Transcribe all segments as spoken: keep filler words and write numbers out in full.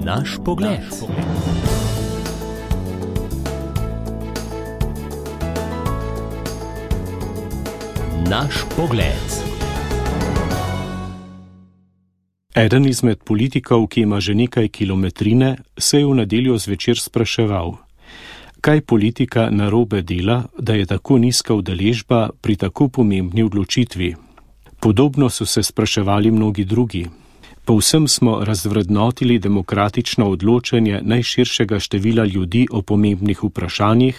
Naš pogled. Naš pogled. Eden izmed politikov, ki ima že nekaj kilometrine, se je v nedeljo zvečer spraševal, kaj politika narobe dela, da je tako nizka udeležba pri tako pomembni odločitvi. Podobno so se spraševali mnogi drugi. Povsem smo razvrednotili demokratično odločanje najširšega števila ljudi o pomembnih vprašanjih,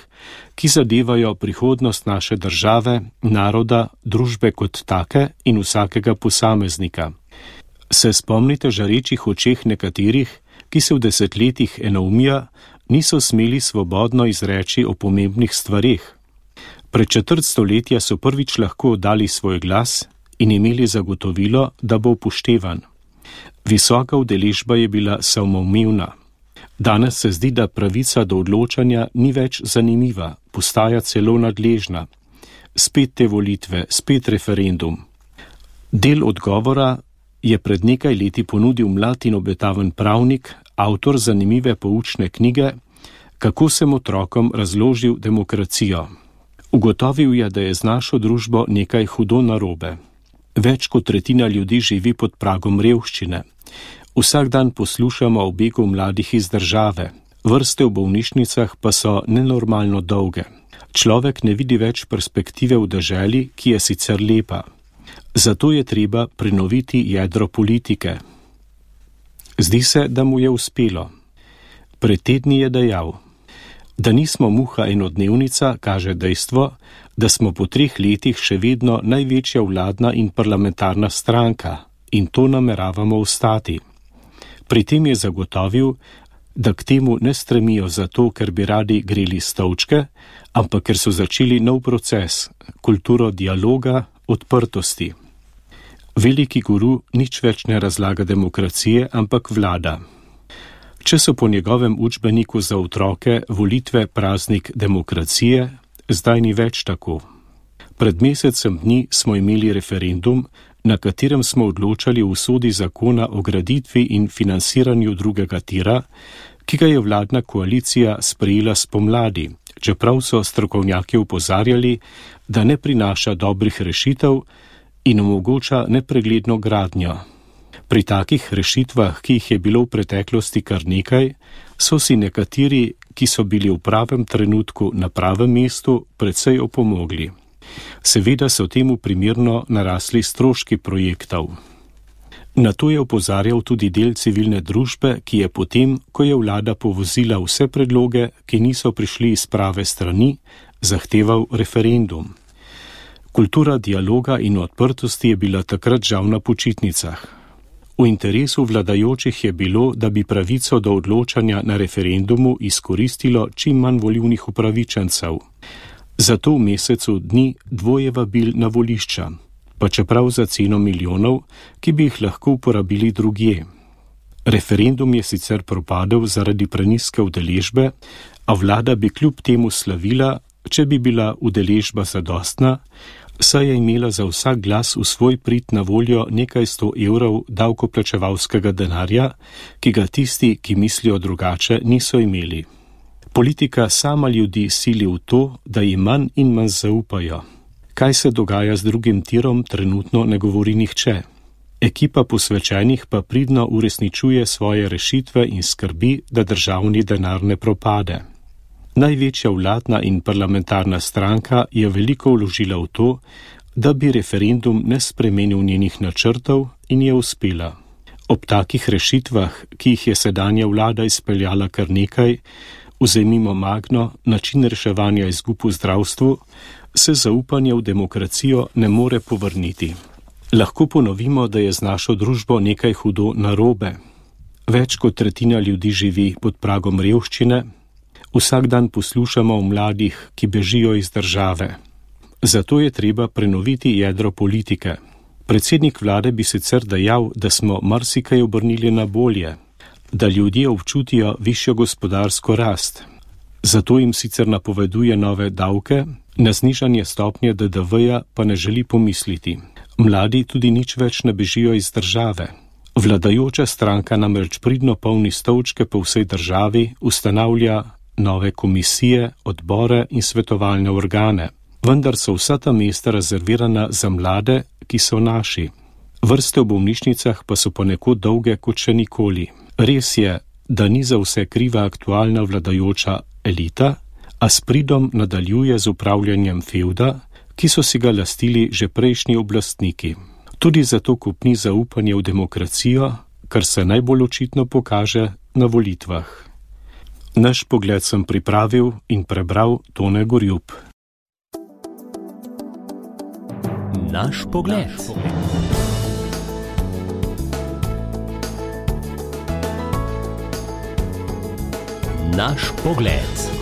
ki zadevajo prihodnost naše države, naroda, družbe kot take in vsakega posameznika. Se spomnite žarečih očeh nekaterih, ki se v desetletjih enoumija niso smeli svobodno izreči o pomembnih stvareh? Pred četrt stoletja so prvič lahko dali svoj glas in imeli zagotovilo, da bo upoštevan. Visoka udeležba je bila samoumevna. Danes se zdi, da pravica do odločanja ni več zanimiva, postaja celo nadležna. Spet te volitve, spet referendum. Del odgovora je pred nekaj leti ponudil mlad in obetaven pravnik, avtor zanimive poučne knjige, Kako sem otrokom razložil demokracijo. Ugotovil je, da je z našo družbo nekaj hudo narobe. Več kot tretjina ljudi živi pod pragom revščine. Vsak dan poslušamo o begu mladih iz države. Vrste v bolnišnicah pa so nenormalno dolge. Človek ne vidi več perspektive v deželi, ki je sicer lepa. Zato je treba prenoviti jedro politike. Zdi se, da mu je uspelo. Pred tedni je dejal, da nismo muha enodnevnica, kaže dejstvo, da smo po treh letih še vedno največja vladna in parlamentarna stranka in to nameravamo ostati. Pri tem je zagotovil, da k temu ne stremijo zato, ker bi radi greli stolčke, ampak ker so začeli nov proces, kulturo dialoga, odprtosti. Veliki guru nič več ne razlaga demokracije, ampak vlada. Če so po njegovem učbeniku za otroke volitve praznik demokracije, zdaj ni več tako. Pred mesecem dni smo imeli referendum, na katerem smo odločali o usodi zakona o graditvi in financiranju drugega tira, ki ga je vladna koalicija sprejela spomladi, čeprav so strokovnjaki opozarjali, da ne prinaša dobrih rešitev in omogoča nepregledno gradnjo. Pri takih rešitvah, ki jih je bilo v preteklosti kar nekaj, so si nekateri, ki so bili v pravem trenutku na pravem mestu, precej opomogli. Seveda so temu primerno narasli stroški projektov. Na to je opozarjal tudi del civilne družbe, ki je potem, ko je vlada povozila vse predloge, ki niso prišli iz prave strani, zahteval referendum. Kultura dialoga in odprtosti je bila takrat žal na počitnicah. V interesu vladajočih je bilo, da bi pravico do odločanja na referendumu izkoristilo čim manj volivnih upravičencev. Zato v mesecu dni dvoje vabil na volišča, pa čeprav za ceno milijonov, ki bi jih lahko uporabili drugje. Referendum je sicer propadel zaradi prenizke udeležbe, a vlada bi kljub temu slavila, če bi bila udeležba zadostna, saj je imela za vsak glas v svoj prid na voljo nekaj sto evrov davkoplačevalskega denarja, ki ga tisti, ki mislijo drugače, niso imeli. Politika sama ljudi sili v to, da jim manj in manj zaupajo. Kaj se dogaja z drugim tirom, trenutno ne govori nihče. Ekipa posvečenih pa pridno uresničuje svoje rešitve in skrbi, da državni denar ne propade. Največja vladna in parlamentarna stranka je veliko vložila v to, da bi referendum ne spremenil njenih načrtov in je uspela. Ob takih rešitvah, ki jih je sedanja vlada izpeljala kar nekaj, vzemimo Magno, način reševanja izgub v zdravstvu, se zaupanje v demokracijo ne more povrniti. Lahko ponovimo, da je z našo družbo nekaj hudo narobe. Več kot tretjina ljudi živi pod pragom revščine, vsak dan poslušamo o mladih, ki bežijo iz države. Zato je treba prenoviti jedro politike. Predsednik vlade bi sicer dejal, da smo marsikaj obrnili na bolje, da ljudje občutijo višjo gospodarsko rast. Zato jim sicer napoveduje nove davke, na znižanje stopnje D D V-ja pa ne želi pomisliti. Mladi tudi nič več ne bežijo iz države. Vladajoča stranka namreč pridno polni stolčke po vsej državi, ustanavlja nove komisije, odbore in svetovalne organe, vendar so vsa ta mesta rezervirana za mlade, ki so naši. Vrste v bolnišnicah pa so ponekod dolge kot še nikoli. Res je, da ni za vse kriva aktualna vladajoča elita, a s pridom nadaljuje z upravljanjem fevda, ki so si ga lastili že prejšnji oblastniki. Tudi zato kupni zaupanje v demokracijo, kar se najbolj očitno pokaže na volitvah. Naš pogled sem pripravil in prebral Tone Gorjup. Naš pogled. Naš pogled.